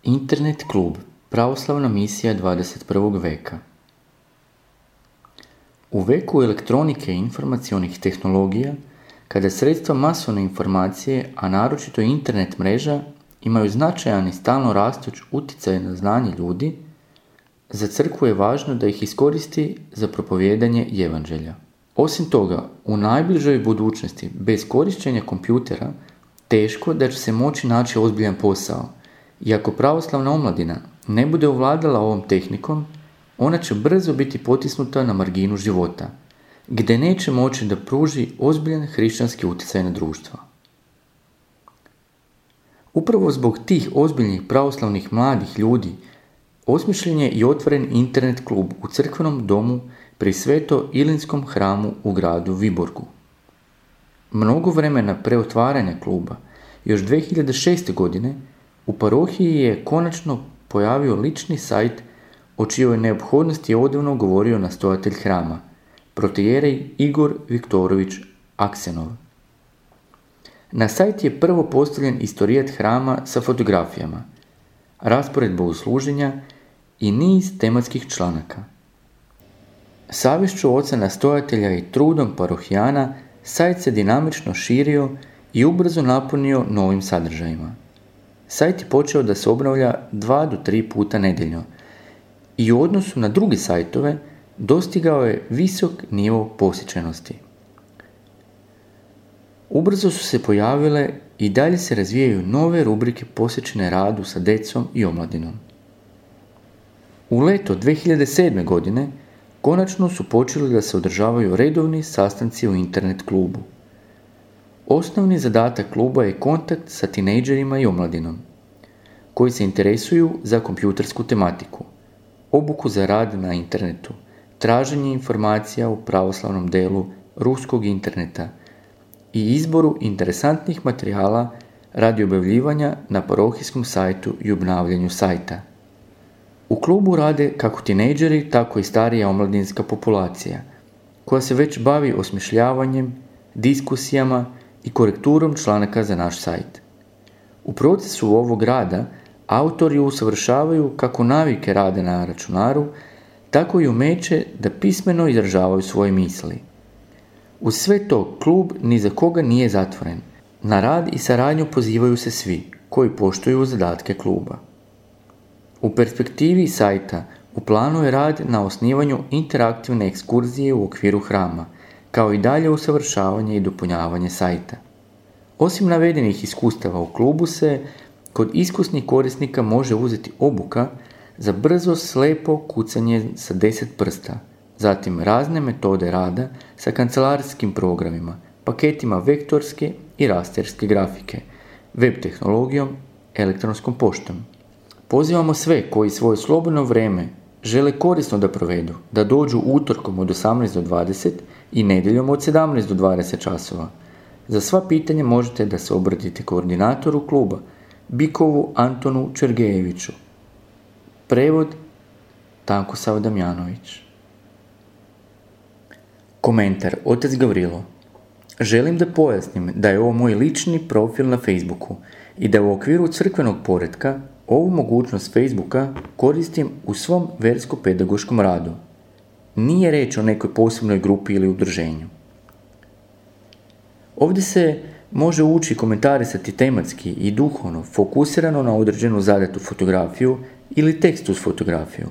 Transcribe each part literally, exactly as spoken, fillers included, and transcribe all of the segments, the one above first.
Internet klub, pravoslavna misija dvadeset prvog veka. U veku elektronike i informacionih tehnologija, kada sredstva masovne informacije, a naročito internet mreža, imaju značajan i stalno rastuć utjecaj na znanje ljudi, za crkvu je važno da ih iskoristi za propovijedanje evanđelja. Osim toga, u najbližoj budućnosti, bez korištenja kompjutera, teško da će se moći naći ozbiljan posao. I ako pravoslavna omladina ne bude ovladala ovom tehnikom, ona će brzo biti potisnuta na marginu života, gdje neće moći da pruži ozbiljan hrišćanski utjecaj na društvo. Upravo zbog tih ozbiljnih pravoslavnih mladih ljudi osmišljen je i otvoren internet klub u crkvenom domu pri Sveto-Ilinskom hramu u gradu Viborgu. Mnogo vremena pre otvaranja kluba, još dvije hiljade šeste. godine, u parohiji je konačno pojavio lični sajt o čijoj neophodnosti je odavno govorio nastojatelj hrama, protoijerej Igor Viktorović Aksenov. Na sajt je prvo postavljen istorijat hrama sa fotografijama, raspored bogosluženja i niz tematskih članaka. Savješću oca nastojatelja i trudom parohijana sajt se dinamično širio i ubrzo napunio novim sadržajima. Sajt je počeo da se obnavlja dva do tri puta nedeljno i u odnosu na druge sajtove dostigao je visok nivo posjećenosti. Ubrzo su se pojavile i dalje se razvijaju nove rubrike posvećene radu sa decom i omladinom. U leto dvije hiljade sedme. godine konačno su počeli da se održavaju redovni sastanci u internet klubu. Osnovni zadatak kluba je kontakt sa tinejdžerima i omladinom, koji se interesuju za kompjutersku tematiku, obuku za rad na internetu, traženje informacija u pravoslavnom delu ruskog interneta i izboru interesantnih materijala radi objavljivanja na parohijskom sajtu i obnavljanju sajta. U klubu rade kako tinejdžeri, tako i starija omladinska populacija, koja se već bavi osmišljavanjem, diskusijama i korekturom članaka za naš sajt. U procesu ovog rada autori usavršavaju kako navike rade na računaru, tako i umeće da pismeno izražavaju svoje misli. Uz sve to, klub ni za koga nije zatvoren. Na rad i saradnju pozivaju se svi koji poštuju zadatke kluba. U perspektivi sajta u planu je rad na osnivanju interaktivne ekskurzije u okviru hrama, kao i dalje usavršavanje i dopunjavanje sajta. Osim navedenih iskustava u klubu se kod iskusnih korisnika može uzeti obuka za brzo slepo kucanje sa deset prsta, zatim razne metode rada sa kancelarijskim programima, paketima vektorske i rasterske grafike, web tehnologijom, elektronskom poštom. Pozivamo sve koji svoje slobodno vrijeme žele korisno da provedu, da dođu utorkom od osamnaest do dvadeset i nedjeljom od sedamnaest do dvadeset časova. Za sva pitanja možete da se obratite koordinatoru kluba, Bikovu Antonu Čergejeviću. Prevod Tankosav Damjanović. Komentar Otac Gavrilo. Želim da pojasnim da je ovo moj lični profil na Facebooku i da u okviru crkvenog poretka ovu mogućnost Facebooka koristim u svom versko-pedagoškom radu. Nije reč o nekoj posebnoj grupi ili udruženju. Ovdje se može ući komentarisati tematski i duhovno, fokusirano na određenu zadatu fotografiju ili tekst uz fotografiju.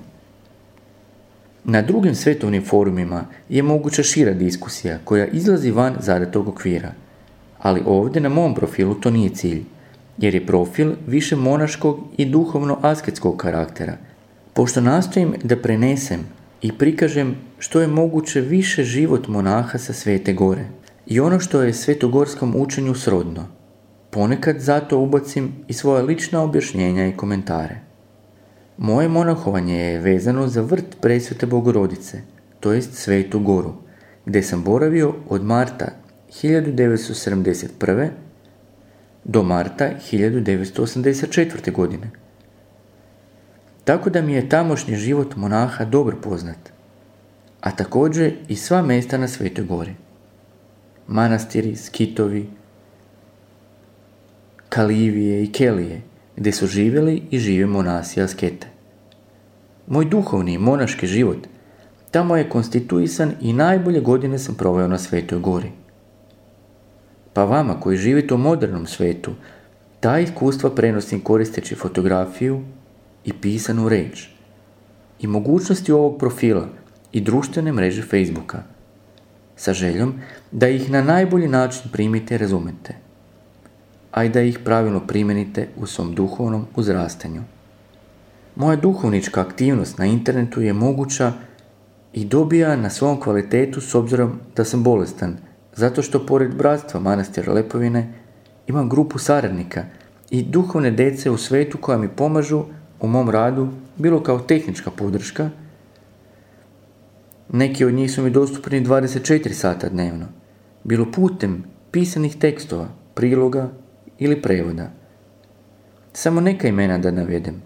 Na drugim svetovnim forumima je moguća šira diskusija koja izlazi van zadatog okvira, ali ovdje na mom profilu to nije cilj, jer je profil više monaškog i duhovno asketskog karaktera, pošto nastojim da prenesem i prikažem što je moguće više život monaha sa Svete Gore i ono što je svetogorskom učenju srodno. Ponekad zato ubacim i svoja lična objašnjenja i komentare. Moje monahovanje je vezano za vrt Presvete Bogorodice, to jest Svetu Goru, gdje sam boravio od marta hiljadu devetsto sedamdeset prve. do marta hiljadu devetsto osamdeset četvrte. godine. Tako da mi je tamošnji život monaha dobro poznat, a također i sva mjesta na Svetoj Gori. Manastiri, skitovi, kalivije i kelije, gdje su živjeli i žive monasi askete. Moj duhovni i monaški život tamo je konstituisan i najbolje godine sam proveo na Svetoj Gori. Pa vama koji živite u modernom svetu, ta iskustva prenosim koristeći fotografiju i pisanu reč i mogućnosti ovog profila i društvene mreže Facebooka, sa željom da ih na najbolji način primite i razumete, a i da ih pravilno primenite u svom duhovnom uzrastanju. Moja duhovnička aktivnost na internetu je moguća i dobija na svom kvalitetu s obzirom da sam bolestan, zato što pored bratstva manastira Lepovine imam grupu saradnika i duhovne dece u svetu koja mi pomažu u mom radu, bilo kao tehnička podrška. Neki od njih su mi dostupni dvadeset četiri sata dnevno, bilo putem pisanih tekstova, priloga ili prevoda. Samo neka imena da navedem.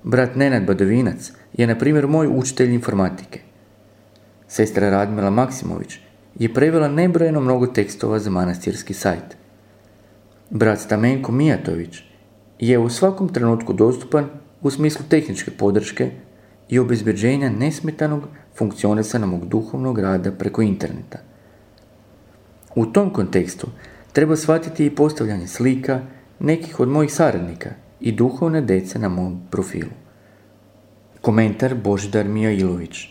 Brat Nenad Badovinac je, na primjer, moj učitelj informatike. Sestra Radmila Maksimović je prevela nebrojeno mnogo tekstova za manastirski sajt. Brat Stamenko Mijatović je u svakom trenutku dostupan u smislu tehničke podrške i obezbeđenja nesmetanog funkcionisanja mog duhovnog rada preko interneta. U tom kontekstu treba shvatiti i postavljanje slika nekih od mojih saradnika i duhovne dece na mom profilu. Komentar Božidar Mijailović.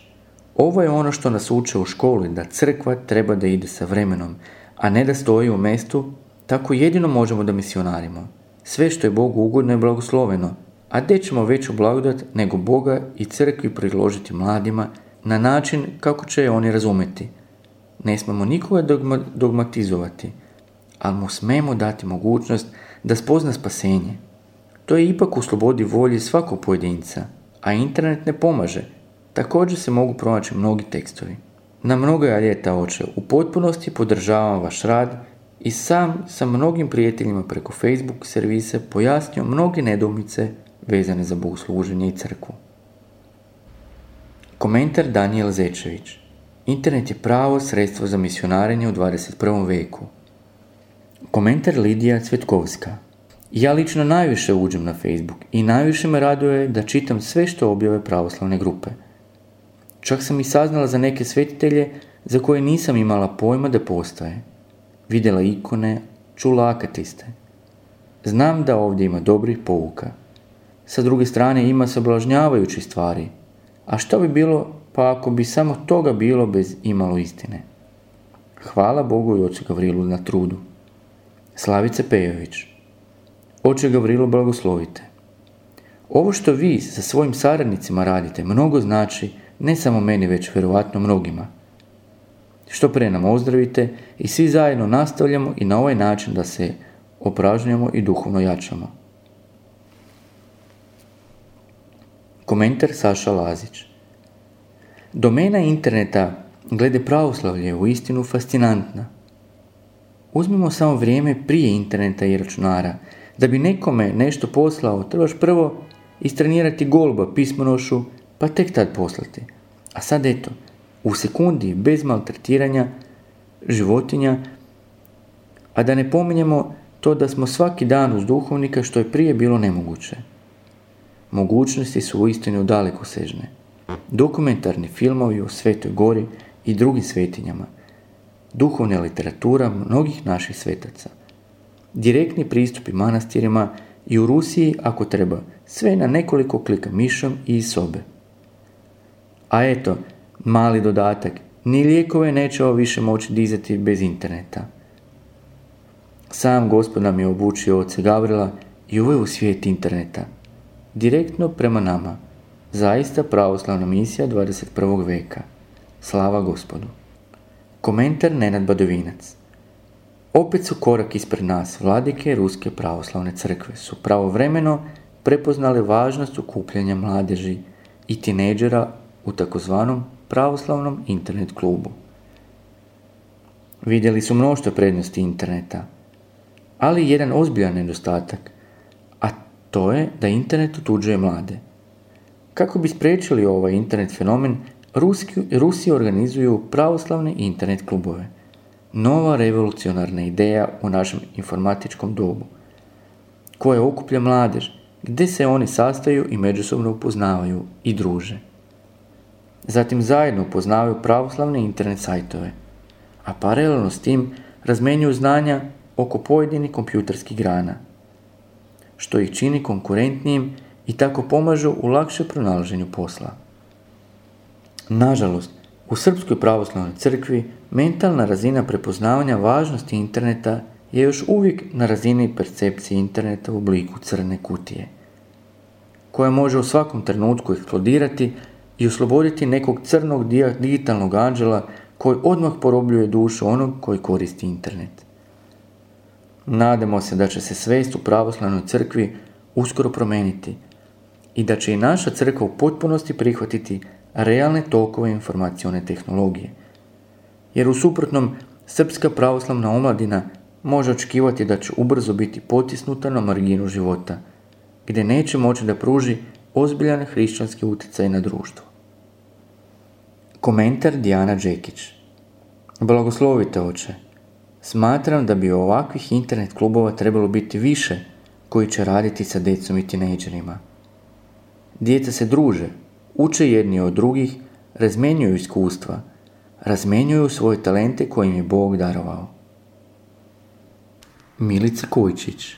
Ovo je ono što nas uče u školi, da crkva treba da ide sa vremenom, a ne da stoji u mjestu, tako jedino možemo da misionarimo. Sve što je Bogu ugodno je blagosloveno, a gdje ćemo veću blagodat nego Boga i crkvi priložiti mladima na način kako će je oni razumeti. Ne smemo nikoga dogma, dogmatizovati, ali mu smemo dati mogućnost da spozna spasenje. To je ipak u slobodi volje svakog pojedinca, a internet ne pomaže. Također se mogu pronaći mnogi tekstovi. Na mnoga ljeta, oče, u potpunosti podržavam vaš rad i sam sa mnogim prijateljima preko Facebook servise pojasnio mnoge nedoumice vezane za bogosluženje i crkvu. Komentar Danijel Zečević. Internet je pravo sredstvo za misionarenje u dvadeset prvom veku. Komentar Lidija Cvetkovska. Ja lično najviše uđem na Facebook i najviše me raduje da čitam sve što objave pravoslavne grupe. Čak sam i saznala za neke svetitelje za koje nisam imala pojma da postoje. Vidjela ikone, čula akatiste. Znam da ovdje ima dobrih pouka. Sa druge strane ima sablažnjavajućih stvari. A što bi bilo pa ako bi samo toga bilo bez imalo istine? Hvala Bogu i ocu Gavrilu na trudu. Slavica Pejović. Oče Gavrilo, blagoslovite. Ovo što vi sa svojim saradnicima radite mnogo znači ne samo meni, već vjerovatno mnogima. Što pre nam ozdravite i svi zajedno nastavljamo i na ovaj način da se opražnjamo i duhovno jačamo. Komentar Saša Lazić. Domena interneta glede pravoslavlja je u istinu fascinantna. Uzmimo samo vrijeme prije interneta i računara. Da bi nekome nešto poslao, trebaš prvo istrenirati golba pismonošu, pa tek tad poslati. A sad eto, u sekundi, bez maltretiranja životinja, a da ne pominjemo to da smo svaki dan uz duhovnika, što je prije bilo nemoguće. Mogućnosti su uistinu dalekosežne. Dokumentarni filmovi o Svetoj Gori i drugim svetinjama, duhovna literatura mnogih naših svetaca, direktni pristupi manastirima i u Rusiji, ako treba, sve na nekoliko klika mišom i iz sobe. A eto, mali dodatak, ni lijekove nećemo više moći dizati bez interneta. Sam Gospod nam je obučio oca Gavrila i uveo u svijet interneta, direktno prema nama. Zaista pravoslavna misija dvadeset prvog veka. Slava Gospodu. Komentar Nenad Badovinac. Opet su korak ispred nas vladike Ruske pravoslavne crkve su pravovremeno prepoznale važnost okupljanja mladeži i tinejdžera u takozvanom pravoslavnom internet klubu. Vidjeli su mnoštvo prednosti interneta, ali jedan ozbiljan nedostatak, a to je da internet otuđuje mlade. Kako bi spriječili ovaj internet fenomen, Ruski, Rusi organizuju pravoslavne internet klubove. Nova revolucionarna ideja u našem informatičkom dobu. koje okuplja mladež, gdje se oni sastaju i međusobno upoznavaju i druže. Zatim zajedno upoznavaju pravoslavne internet sajtove, a paralelno s tim razmenjuju znanja oko pojedinih kompjuterskih grana, što ih čini konkurentnijim i tako pomažu u lakše pronalaženju posla. Nažalost, u Srpskoj pravoslavnoj crkvi mentalna razina prepoznavanja važnosti interneta je još uvijek na razini percepcije interneta u obliku crne kutije, koja može u svakom trenutku eksplodirati i osloboditi nekog crnog digitalnog anđela koji odmah porobljuje dušu onog koji koristi internet. Nadamo se da će se svijest u pravoslavnoj crkvi uskoro promijeniti i da će i naša crkva u potpunosti prihvatiti realne tokove informacione tehnologije, jer u suprotnom srpska pravoslavna omladina može očekivati da će ubrzo biti potisnuta na marginu života, gdje neće moći da pruži ozbiljan hrišćanski utjecaj na društvo. Komentar Dijana Đekić. Blagoslovite oče. Smatram da bi ovakvih internet klubova trebalo biti više koji će raditi sa djecom i tinejdžerima. Djeca se druže, uče jedni od drugih, razmjenjuju iskustva, razmjenjuju svoje talente koje im je Bog darovao. Milica Kojčić.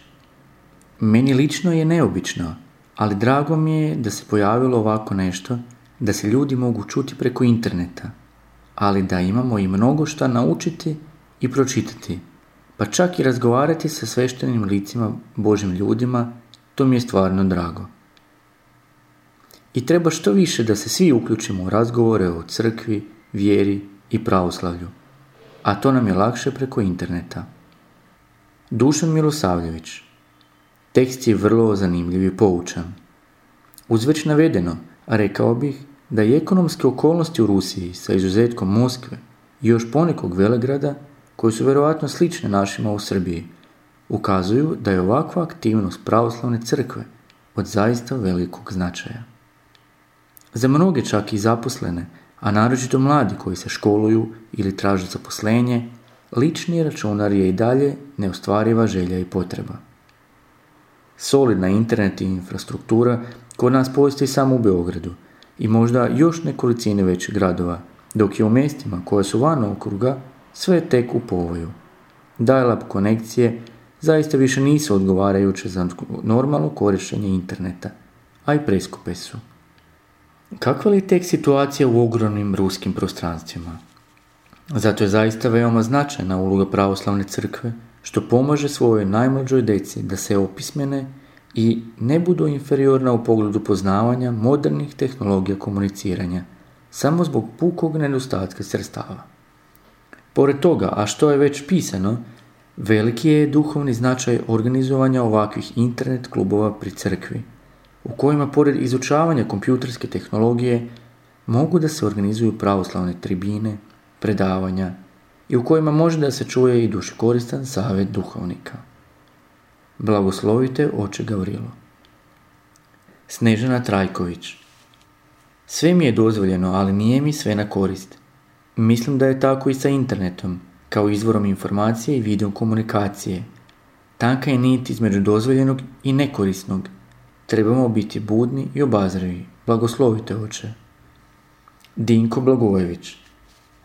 Meni lično je neobično, ali drago mi je da se pojavilo ovako nešto, da se ljudi mogu čuti preko interneta, ali da imamo i mnogo šta naučiti i pročitati, pa čak i razgovarati sa sveštenim licima Božim ljudima, to mi je stvarno drago. I treba što više da se svi uključimo u razgovore o crkvi, vjeri i pravoslavlju, a to nam je lakše preko interneta. Dušan Milosavljević. Tekst je vrlo zanimljiv i poučan. Uz već navedeno, rekao bih da i ekonomske okolnosti u Rusiji, sa izuzetkom Moskve i još ponekog velegrada, koji su vjerojatno slične našima u Srbiji, ukazuju da je ovakva aktivnost pravoslavne crkve od zaista velikog značaja. Za mnoge čak i zaposlene, a naročito mladi koji se školuju ili traže zaposlenje, lični računar je i dalje neostvariva želja i potreba. Solidna internet i infrastruktura kod nas postoji samo u Beogradu i možda još nekolicine većih gradova, dok je u mjestima koja su van okruga sve tek u povoju. Dial-up konekcije zaista više nisu odgovarajuće za normalno korištenje interneta, a i preskupe su. Kakva li je tek situacija u ogromnim ruskim prostranstvima? Zato je zaista veoma značajna uloga pravoslavne crkve, što pomaže svojoj najmlađoj deci da se opismene i ne budu inferiorna u pogledu poznavanja modernih tehnologija komuniciranja, samo zbog pukog nedostatka sredstava. Pored toga, a što je već pisano, veliki je duhovni značaj organizovanja ovakvih internet klubova pri crkvi, u kojima pored izučavanja kompjuterske tehnologije mogu da se organizuju pravoslavne tribine, predavanja i u kojima može da se čuje i dušikoristan savjet duhovnika. Blagoslovite oče Gavrilo. Snežana Trajković. Sve mi je dozvoljeno, ali nije mi sve na korist. Mislim da je tako i sa internetom, kao izvorom informacije i video komunikacije. Tanka je nit između dozvoljenog i nekorisnog. Trebamo biti budni i obazrivi. Blagoslovite oče. Dinko Blagojević.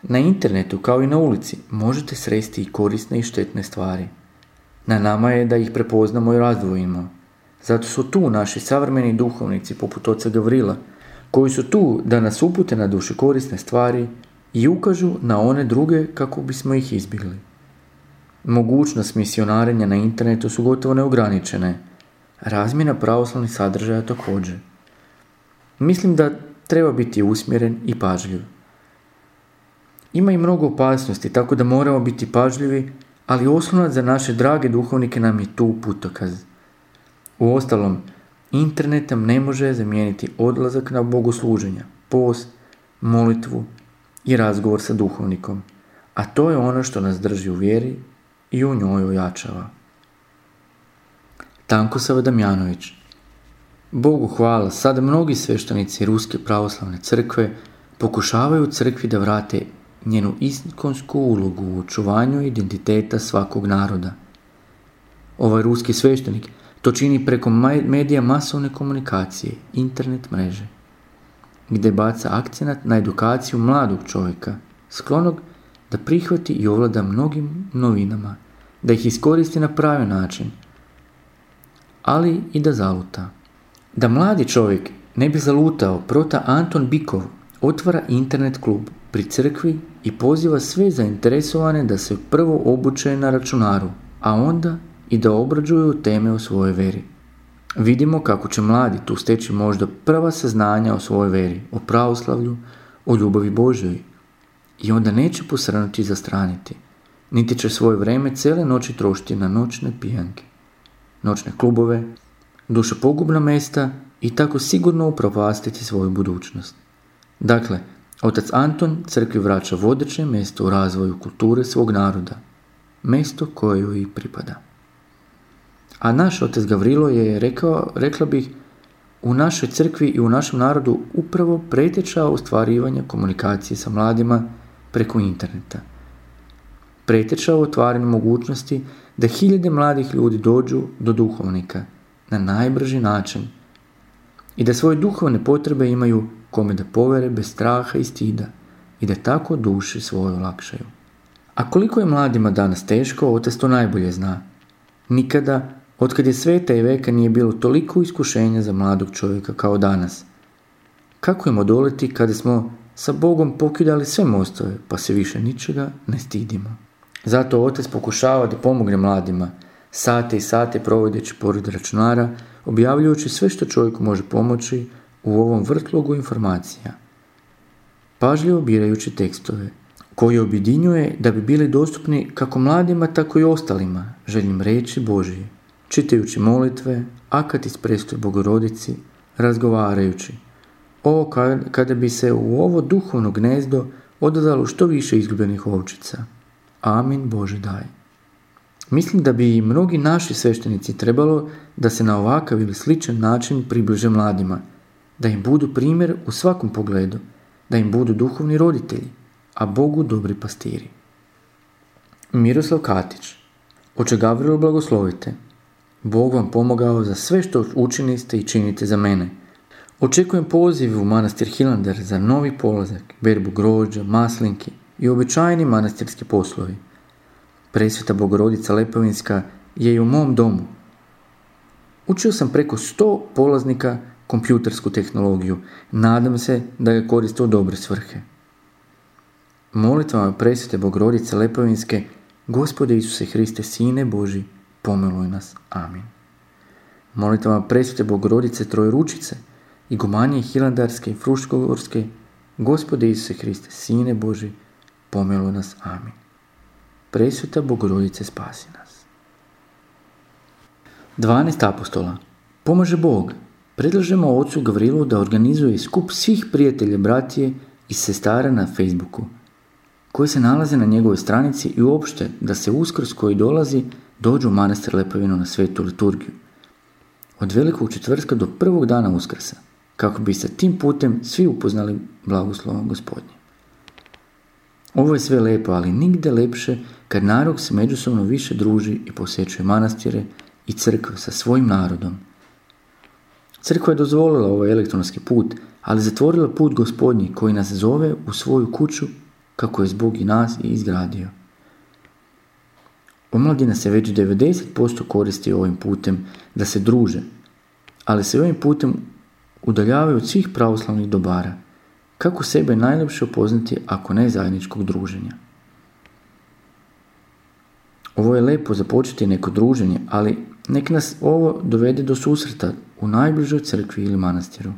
Na internetu, kao i na ulici, možete sresti i korisne i štetne stvari. Na nama je da ih prepoznamo i razdvojimo. Zato su tu naši savremeni duhovnici poput oca Gavrila, koji su tu da nas upute na duše korisne stvari i ukažu na one druge kako bismo ih izbjegli. Mogućnost misionarenja na internetu su gotovo neograničene, razmjena pravoslavnih sadržaja također. Mislim da treba biti usmjeren i pažljiv. Ima i mnogo opasnosti, tako da moramo biti pažljivi, ali oslonac za naše drage duhovnike nam je tu putokaz. Uostalom, internet nam ne može zamijeniti odlazak na bogosluženja, post, molitvu i razgovor sa duhovnikom, a to je ono što nas drži u vjeri i u njoj ojačava. Tankosav Damjanović. Bogu hvala, sada mnogi sveštenici Ruske pravoslavne crkve pokušavaju crkvi da vrate njenu ikonsku ulogu u očuvanju identiteta svakog naroda. Ovaj ruski sveštenik To čini preko medija masovne komunikacije, internet mreže, gdje baca akcenat na edukaciju mladog čovjeka, sklonog da prihvati i ovlada mnogim novinama, da ih iskoristi na pravi način, ali i da zaluta. Da mladi čovjek ne bi zalutao, prota Anton Bikov otvara internet klub pri crkvi i poziva sve zainteresovane da se prvo obuče na računaru, a onda i da obrađuju teme o svojoj veri. Vidimo kako će mladi tu steći možda prva saznanja o svojoj veri, o pravoslavlju, o ljubavi Božjoj, i onda neće posrnuti i zastraniti, niti će svoje vrijeme cijele noći trošiti na noćne pijanke, noćne klubove, dušopogubna mjesta i tako sigurno upropastiti svoju budućnost. Dakle, otac Anton crkvi vraća vodeće mjesto u razvoju kulture svog naroda, mjesto koje joj i pripada. A naš otac Gavrilo je rekao, rekla bih, u našoj crkvi i u našem narodu upravo preteča ostvarivanja komunikacije sa mladima preko interneta. Preteča u otvaranju mogućnosti da hiljade mladih ljudi dođu do duhovnika na najbrži način i da svoje duhovne potrebe imaju kome da povere bez straha i stida i da tako duši svoju olakšaju. A koliko je mladima danas teško, otac to najbolje zna. Nikada, otkad je sveta i veka, nije bilo toliko iskušenja za mladog čovjeka kao danas. Kako im odoliti kada smo sa Bogom pokidali sve mostove, pa se više ničega ne stidimo? Zato otac pokušava da pomogne mladima, sate i sate provodeći pored računara, objavljujući sve što čovjeku može pomoći u ovom vrtlogu informacija, pažljivo birajući tekstove, koji objedinjuje da bi bili dostupni kako mladima, tako i ostalima, željnim reći Božije, čitajući molitve, akat iz prestoje Bogorodici, razgovarajući. Ovo kada bi se u ovo duhovno gnezdo odazvalo što više izgubljenih ovčica. Amin Bože daj. Mislim da bi i mnogi naši sveštenici trebalo da se na ovakav ili sličan način približe mladima, da im budu primjer u svakom pogledu, da im budu duhovni roditelji, a Bogu dobri pastiri. Miroslav Katić. Oče Gavrilo, blagoslovite. Bog vam pomogao za sve što učiniste i činite za mene. Očekujem poziv u manastir Hilandar za novi polazak, berbu grožđa, maslinki i običajni manastirski poslovi. Presveta Bogorodica Lepovinska je i u mom domu. Učio sam preko sto polaznika kompjutersku tehnologiju. Nadam se da ga koriste u dobre svrhe. Molitvama Presvete Bogorodice Lepovinske, Gospode Isuse Hriste, Sine Boži, pomiluj nas. Amin. Molitvama Presvete Bogorodice Trojeručice, Igumanije Hilandarske i Fruškogorske, Gospode Isuse Hriste, Sine Boži, pomiluj nas. Amin. Presveta Bogorodice, spasi nas. dvanaest apostola. Pomaže Bog. Predlažemo ocu Gavrilu da organizuje skup svih prijatelja, bratije i sestara na Facebooku, koji se nalaze na njegovoj stranici, i uopšte da se Uskrs koji dolazi dođu u manastir Lepovinu na svetu liturgiju. Od velikog četvrtka do prvog dana Uskrsa, kako bi se tim putem svi upoznali blagoslovom Gospodnje. Ovo je sve lepo, ali nigde lepše kad narod se međusobno više druži i posjećuje manastire i crkve sa svojim narodom. Crkva je dozvolila ovaj elektronski put, ali zatvorila put Gospodnji koji nas zove u svoju kuću, kako je Bog i nas i izgradio. Omladina se već devedeset posto koristi ovim putem da se druže, ali se ovim putem udaljavaju od svih pravoslavnih dobara. Kako sebe najljepše upoznati ako ne zajedničkog druženja? Ovo je lepo započeti neko druženje, ali nek nas ovo dovede do susreta u najbližoj crkvi ili manastiru.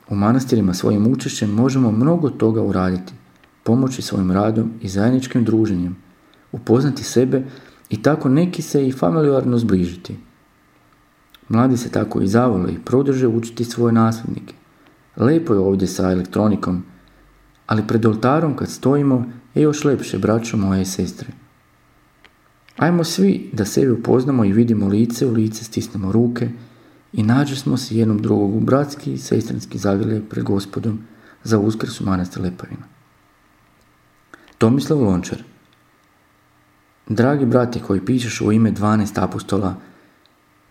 U manastirima svojim učešćem možemo mnogo toga uraditi, pomoći svojim radom i zajedničkim druženjem, upoznati sebe i tako neki se i familijarno zbližiti. Mladi se tako i zavole i produže učiti svoje nasljednike. Lepo je ovdje sa elektronikom, ali pred oltarom kad stojimo je još lepše, braćo moje i sestre. Ajmo svi da sebe upoznamo i vidimo lice u lice, stisnemo ruke i nađemo se jednom drugog u bratski i sestrinski zagrljaj pred Gospodom za Uskrs u manastir Lepovina. Tomislav Lončar. Dragi brate koji pišeš u ime dvanaest apostola,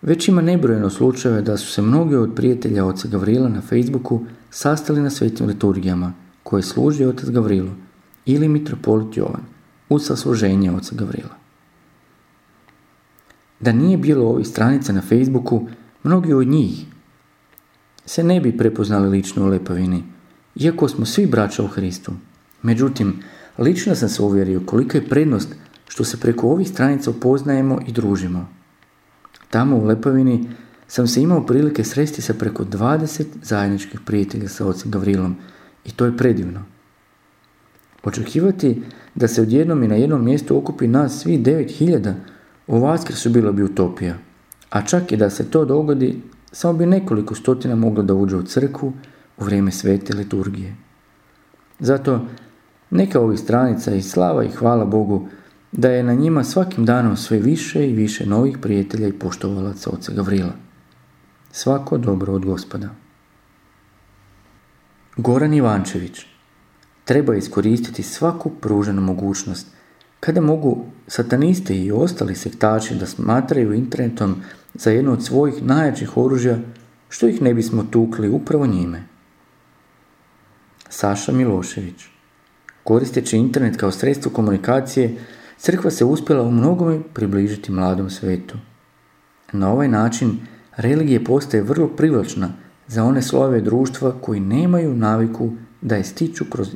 već ima nebrojeno slučajeva da su se mnogi od prijatelja oca Gavrila na Facebooku sastali na svetim liturgijama koje služi otac Gavrilo ili mitropolit Jovan uz sasluženje oca Gavrila. Da nije bilo ovih stranica na Facebooku, mnogi od njih se ne bi prepoznali lično u Lepavini, iako smo svi braća u Hristu. Međutim, lično sam se uvjerio kolika je prednost što se preko ovih stranica upoznajemo i družimo. Tamo u Lepavini sam se imao prilike sresti sa preko dvadeset zajedničkih prijatelja sa ocem Gavrilom i to je predivno. Očekivati da se odjednom i na jednom mjestu okupi nas svi devet hiljada u Vaskrsu bilo bi utopija, a čak i da se to dogodi, samo bi nekoliko stotina moglo da uđe u crkvu u vrijeme svete liturgije. Zato neka ovih stranica i slava i hvala Bogu da je na njima svakim danom sve više i više novih prijatelja i poštovalaca oca Gavrila. Svako dobro od Gospoda. Goran Ivančević. Treba iskoristiti svaku pruženu mogućnost kada mogu sataniste i ostali sektači da smatraju internetom za jedno od svojih najjačih oružja, što ih ne bismo tukli upravo njime. Saša Milošević. Koristeći internet kao sredstvo komunikacije, crkva se uspjela u mnogome približiti mladom svetu. Na ovaj način religija postaje vrlo privlačna za one slojeve društva koji nemaju naviku da je stiču kroz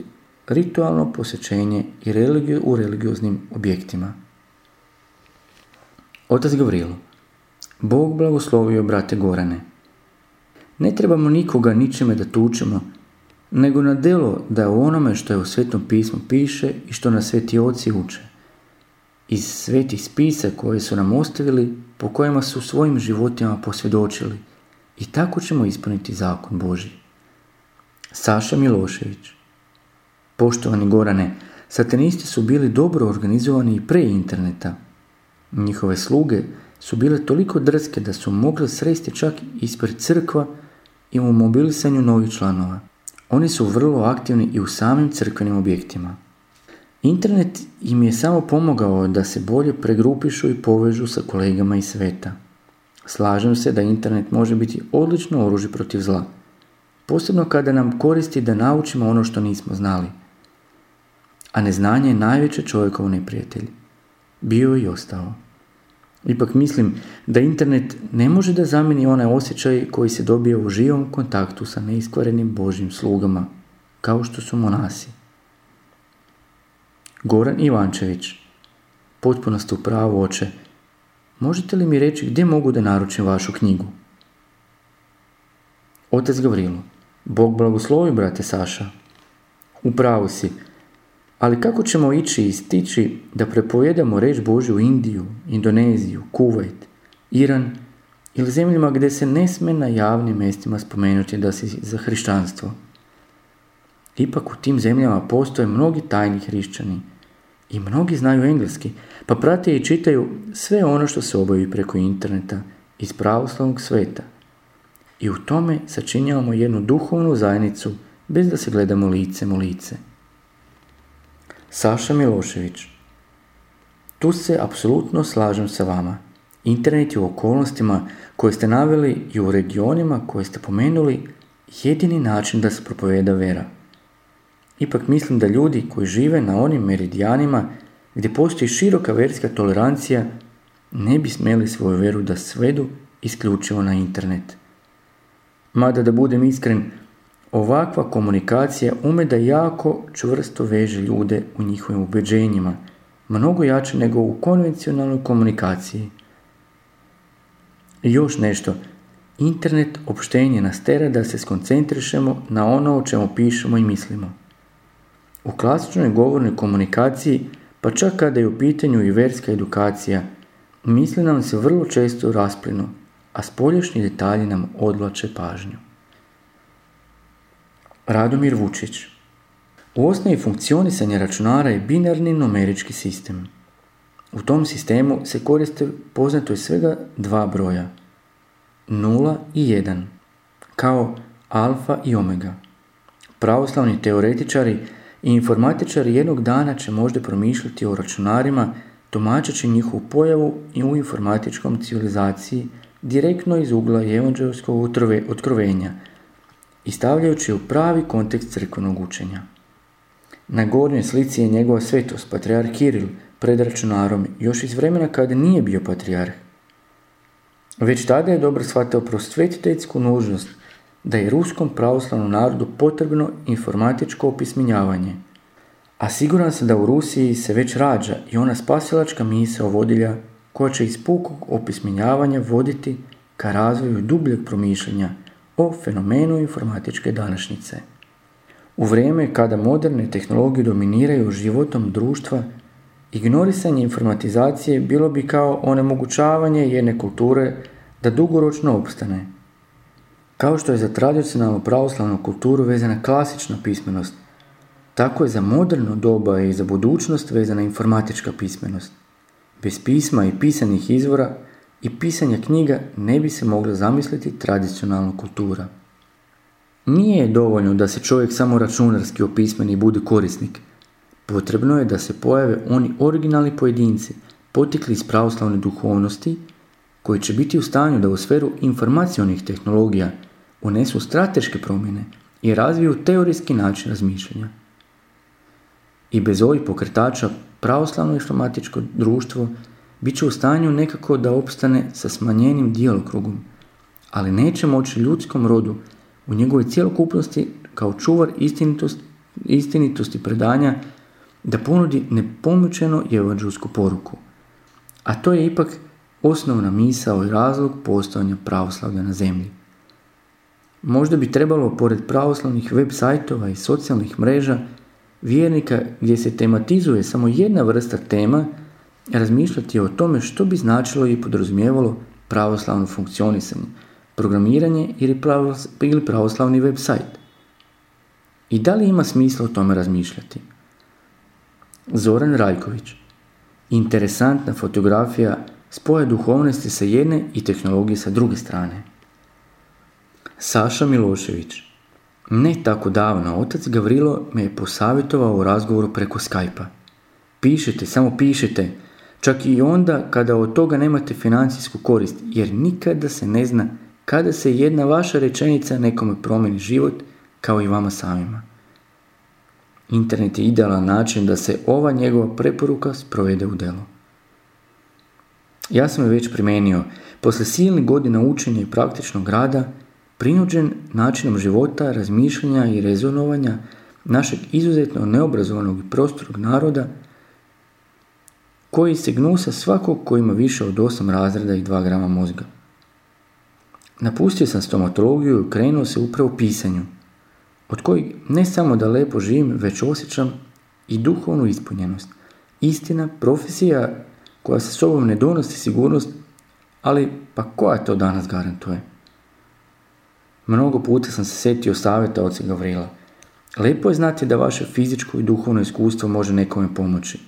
ritualno posjećenje i religiju u religioznim objektima. Otac Gavrilo. Bog blagoslovio brate Gorane. Ne trebamo nikoga ničime da tučemo, nego na djelo da je onome što je u Svetom pismu piše i što nas sveti oci uče. Iz svetih spisa koje su nam ostavili, po kojima su svojim životima posvjedočili, i tako ćemo ispuniti zakon Božji. Saša Milošević. Poštovani Gorane, satanisti su bili dobro organizovani i pre interneta. Njihove sluge su bile toliko drske da su mogli sresti čak ispred crkva i u mobilisanju novih članova. Oni su vrlo aktivni i u samim crkvenim objektima. Internet im je samo pomogao da se bolje pregrupišu i povežu sa kolegama iz sveta. Slažem se da internet može biti odlično oružje protiv zla, posebno kada nam koristi da naučimo ono što nismo znali. A neznanje je najveći čovjekov neprijatelj. Bio i ostao. Ipak mislim da internet ne može da zamijeni onaj osjećaj koji se dobije u živom kontaktu sa neiskvarenim Božjim slugama, kao što su monasi. Goran Ivančević. Potpuno ste u pravu, oče. Možete li mi reći gdje mogu da naručim vašu knjigu? Otac Gavrilo. Bog blagoslovi, brate Saša. U pravu si. Ali kako ćemo ići i stići da prepojedamo reč Božju u Indiju, Indoneziju, Kuvajt, Iran ili zemljama gdje se ne sme na javnim mjestima spomenuti da si za hrišćanstvo? Ipak u tim zemljama postoje mnogi tajni hrišćani i mnogi znaju engleski, pa prate i čitaju sve ono što se obavi preko interneta iz pravoslavnog sveta. I u tome sačinjavamo jednu duhovnu zajednicu bez da se gledamo licem u lice. Saša Milošević. Tu se apsolutno slažem sa vama. Internet je u okolnostima koje ste naveli i u regionima koje ste pomenuli jedini način da se propoveda vera. Ipak mislim da ljudi koji žive na onim meridijanima gdje postoji široka verska tolerancija ne bi smjeli svoju vjeru da svedu isključivo na internet. Mada da budem iskren, ovakva komunikacija ume da jako čvrsto veže ljude u njihovim ubeđenjima, mnogo jače nego u konvencionalnoj komunikaciji. I još nešto, internet opštenje nas tera da se skoncentrišemo na ono o čemu pišemo i mislimo. U klasičnoj govornoj komunikaciji, pa čak kada je u pitanju i verska edukacija, misli nam se vrlo često rasplinu, a spoljašnji detalji nam odvlače pažnju. Radomir Vučić. U osnovi funkcionisanja računara je binarni numerički sistem. U tom sistemu se koriste poznato je svega dva broja, nula i jedan, kao alfa i omega. Pravoslavni teoretičari i informatičari jednog dana će možda promišljati o računarima tumačeći njihovu pojavu i u informatičkom civilizaciji direktno iz ugla evanđelskog otkrovenja i stavljajući u pravi kontekst crkvenog učenja. Na gornjoj slici je njegova svetost, patrijarh Kiril, pred računarom, još iz vremena kada nije bio patrijarh. Već tada je dobro shvatio prosvetiteljsku nužnost da je ruskom pravoslavnom narodu potrebno informatičko opismenjavanje, a siguran sam da u Rusiji se već rađa i ona spasilačka misao vodilja koja će iz pukog opismenjavanja voditi ka razvoju dubljeg promišljanja o fenomenu informatičke današnjice. U vrijeme kada moderne tehnologije dominiraju životom društva, ignorisanje informatizacije bilo bi kao onemogućavanje jedne kulture da dugoročno opstane. Kao što je za tradicionalnu pravoslavnu kulturu vezana klasična pismenost, tako je za moderno doba i za budućnost vezana informatička pismenost. Bez pisma i pisanih izvora i pisanja knjiga ne bi se mogla zamisliti tradicionalna kultura. Nije dovoljno da se čovjek samo računarski opismeni i bude korisnik. Potrebno je da se pojave oni originalni pojedinci, potekli iz pravoslavne duhovnosti, koji će biti u stanju da u sferu informacionih tehnologija unesu strateške promjene i razviju teorijski način razmišljanja. I bez ovih pokretača pravoslavno informatičko društvo bit će u stanju nekako da opstane sa smanjenim djelokrugom, ali neće moći ljudskom rodu u njegovoj cjelokupnosti kao čuvar istinitosti, istinitosti predanja da ponudi nepomučeno evanđelsku poruku. A to je ipak osnovna misao i razlog postojanja pravoslavlja na zemlji. Možda bi trebalo, pored pravoslavnih web sajtova i socijalnih mreža, vjernika gdje se tematizuje samo jedna vrsta tema, razmišljati o tome što bi značilo i podrazumijevalo pravoslavno funkcionisanje, programiranje ili pravoslavni web sajt. I da li ima smisla o tome razmišljati? Zoran Rajković. Interesantna fotografija spoja duhovnosti sa jedne i tehnologije sa druge strane. Saša Milošević. Ne tako davno, otac Gavrilo me je posavjetovao u razgovoru preko Skype-a. Pišite, samo pišite, čak i onda kada od toga nemate financijsku korist, jer nikada se ne zna kada se jedna vaša rečenica nekome promijeni život, kao i vama samima. Internet je idealan način da se ova njegova preporuka sprovede u delo. Ja sam je već primenio, posle silnih godina učenja i praktičnog rada, prinuđen načinom života, razmišljanja i rezonovanja našeg izuzetno neobrazovanog i prostorog naroda, koji se gnusa svakog ko ima više od osam razreda i dva grama mozga. Napustio sam stomatologiju i krenuo se upravo pisanju, od kojeg ne samo da lepo živim, već osjećam i duhovnu ispunjenost. Istina, profesija koja sa sobom ne donosi sigurnost, ali pa koja to danas garantuje? Mnogo puta sam se sjetio savjeta oca Gavrila. Lepo je znati da vaše fizičko i duhovno iskustvo može nekome pomoći.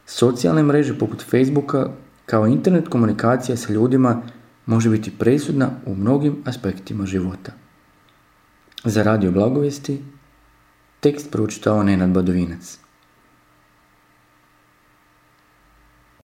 Socijalne mreže poput Facebooka, kao internet komunikacija sa ljudima, može biti presudna u mnogim aspektima života. Za Radio Blagovijesti tekst pročitao Nenad Badovinac.